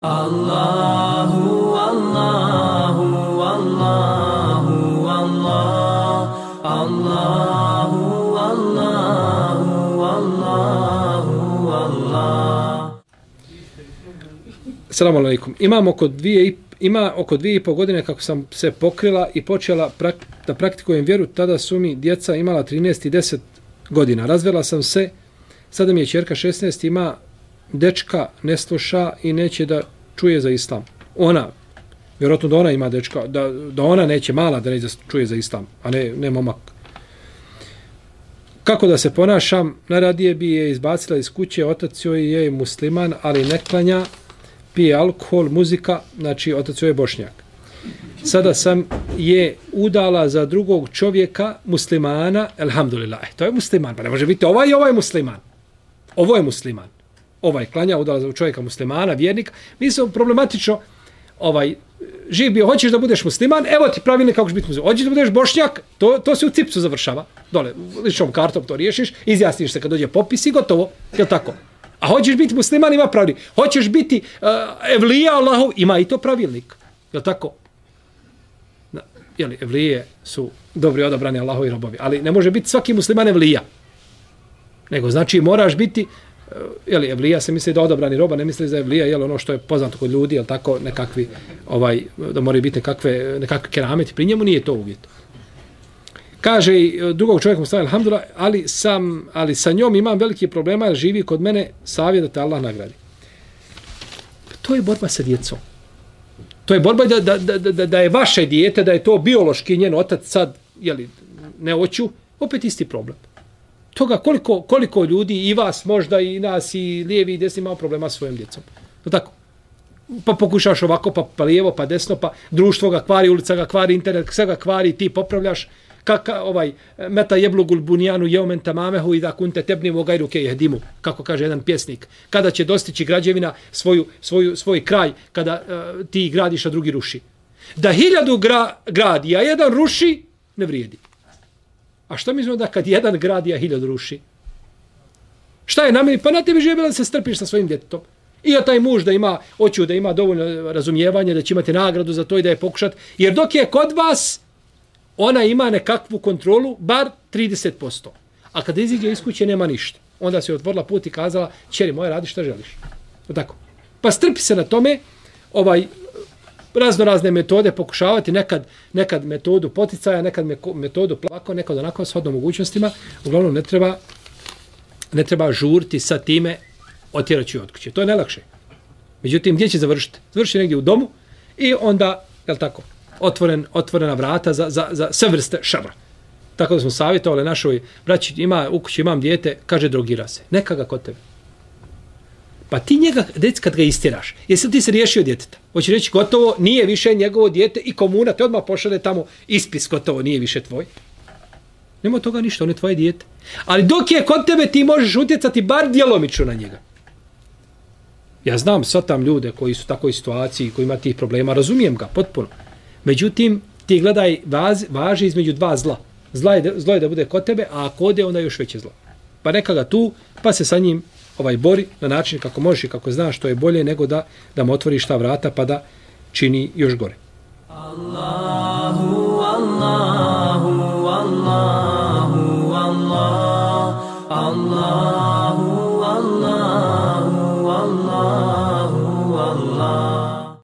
Allahu, Allahu, Allahu, Allah, Allahu, Allahu, Allahu, Allah. Assalamu alaikum. Ima oko 2,5 godine kako sam se pokrila i počela da praktikujem vjeru, tada su mi djeca imala 13 i 10 godina. Razvela sam se, sada mi je ćerka 16, ima dečka, ne sluša i neće da čuje za islam. Ona, vjerojatno da ona ima dečka, da ona neće, mala da neće da čuje za islam, a ne momak. Kako da se ponašam? Najradije bi je izbacila iz kuće, otac joj je musliman, ali ne klanja, pije alkohol, muzika, znači otac joj je Bošnjak. Sada sam je udala za drugog čovjeka, muslimana, elhamdulillah, to je musliman, pa ne može biti ovaj musliman. Ovo je musliman. Ovaj klanja, udala za čovjeka muslimana, vjernika. Mislim, problematično, živ bio, hoćeš da budeš musliman, evo ti pravilnik kako ćeš biti musliman. Hoćeš da budeš Bošnjak, to se u cipsu završava. Dole, ličnom kartom to riješiš, izjasniš se kad dođe popis i gotovo. Je tako? A hoćeš biti musliman, ima pravilnik. Hoćeš biti evlija Allahov, ima i to pravilnik. Je tako? Evlije su dobri odabrani Allahovi robovi, ali ne može biti svaki musliman evlija. Nego znači moraš biti evlija se misli da odabrani roba, ne misli za evlija, ono što je poznato kod ljudi, tako nekakvi, da moraju biti nekakve kerameti, pri njemu nije to uvjet. Kaže i drugog čovjeka mu stavlja, alhamdulillah, ali sa njom imam veliki problema, jer živi kod mene, savjet da te Allah nagradi. To je borba sa djecom. To je borba da je vaše dijete, da je to biološki njen otac sad, ne hoću, opet isti problem. Toga koliko ljudi, i vas možda, i nas, i lijevi i desni, imao problema s svojim djecom. Tako? Pa pokušaš ovako, pa lijevo, pa desno, pa društvo ga kvari, ulica ga kvari, internet, sve ga kvari, ti popravljaš. Meta jeblugul bunjanu jeumen tamamehu i da kunte tebnimu gajru ke jehdimu, kako kaže jedan pjesnik. Kada će dostići građevina svoj kraj, kada ti gradiš, a drugi ruši. Da 1000 gradi, a jedan ruši, ne vrijedi. A što mislimo da kad jedan gradi, a 1000 ruši? Šta je na meni? Pa na tebi živjela da se strpiš sa svojim djetetom. I ja taj muž hoću da ima dovoljno razumijevanja, da će imati nagradu za to i da je pokušat. Jer dok je kod vas, ona ima nekakvu kontrolu, bar 30%. A kada iziđe iz kuće, nema ništa. Onda se otvorila put i kazala, ćeri moja, radi šta želiš. Tako. Pa strpi se na tome, razne metode pokušavati, nekad metodu poticaja, nekad metodu plako, nekad onako s hodnom mogućnostima. Uglavnom ne treba žurti sa time, otjeraću od kuće. To je najlakše. Međutim, gdje će završiti? Završi negdje u domu i onda, tako, otvorena vrata za sve vrste šara. Tako da smo savjetovali našoj braći, u kući imam dijete, kaže drogira se. Neka ga kod tebe. Pa ti njega, djeci, kad ga istjeraš, jesi li ti se riješio djeteta? Hoće reći, gotovo, nije više njegovo dijete i komuna te odmah pošalje tamo ispis, gotovo, nije više tvoj. Nema toga ništa, on je tvoje dijete. Ali dok je kod tebe, ti možeš utjecati bar djelomično na njega. Ja znam, svatam ljude koji su u takvoj situaciji, koji ima tih problema, razumijem ga potpuno. Međutim, ti gledaj, važi između dva zla. Zlo je da bude kod tebe, a ako ode, onda još veće zlo. Pa neka ga tu, pa se sa njim bori na način kako možeš i kako znaš, što je bolje nego da mu otvoriš ta vrata pa da čini još gore. Allahu, Allahu, Allahu, Allah, Allahu, Allahu, Allahu, Allah.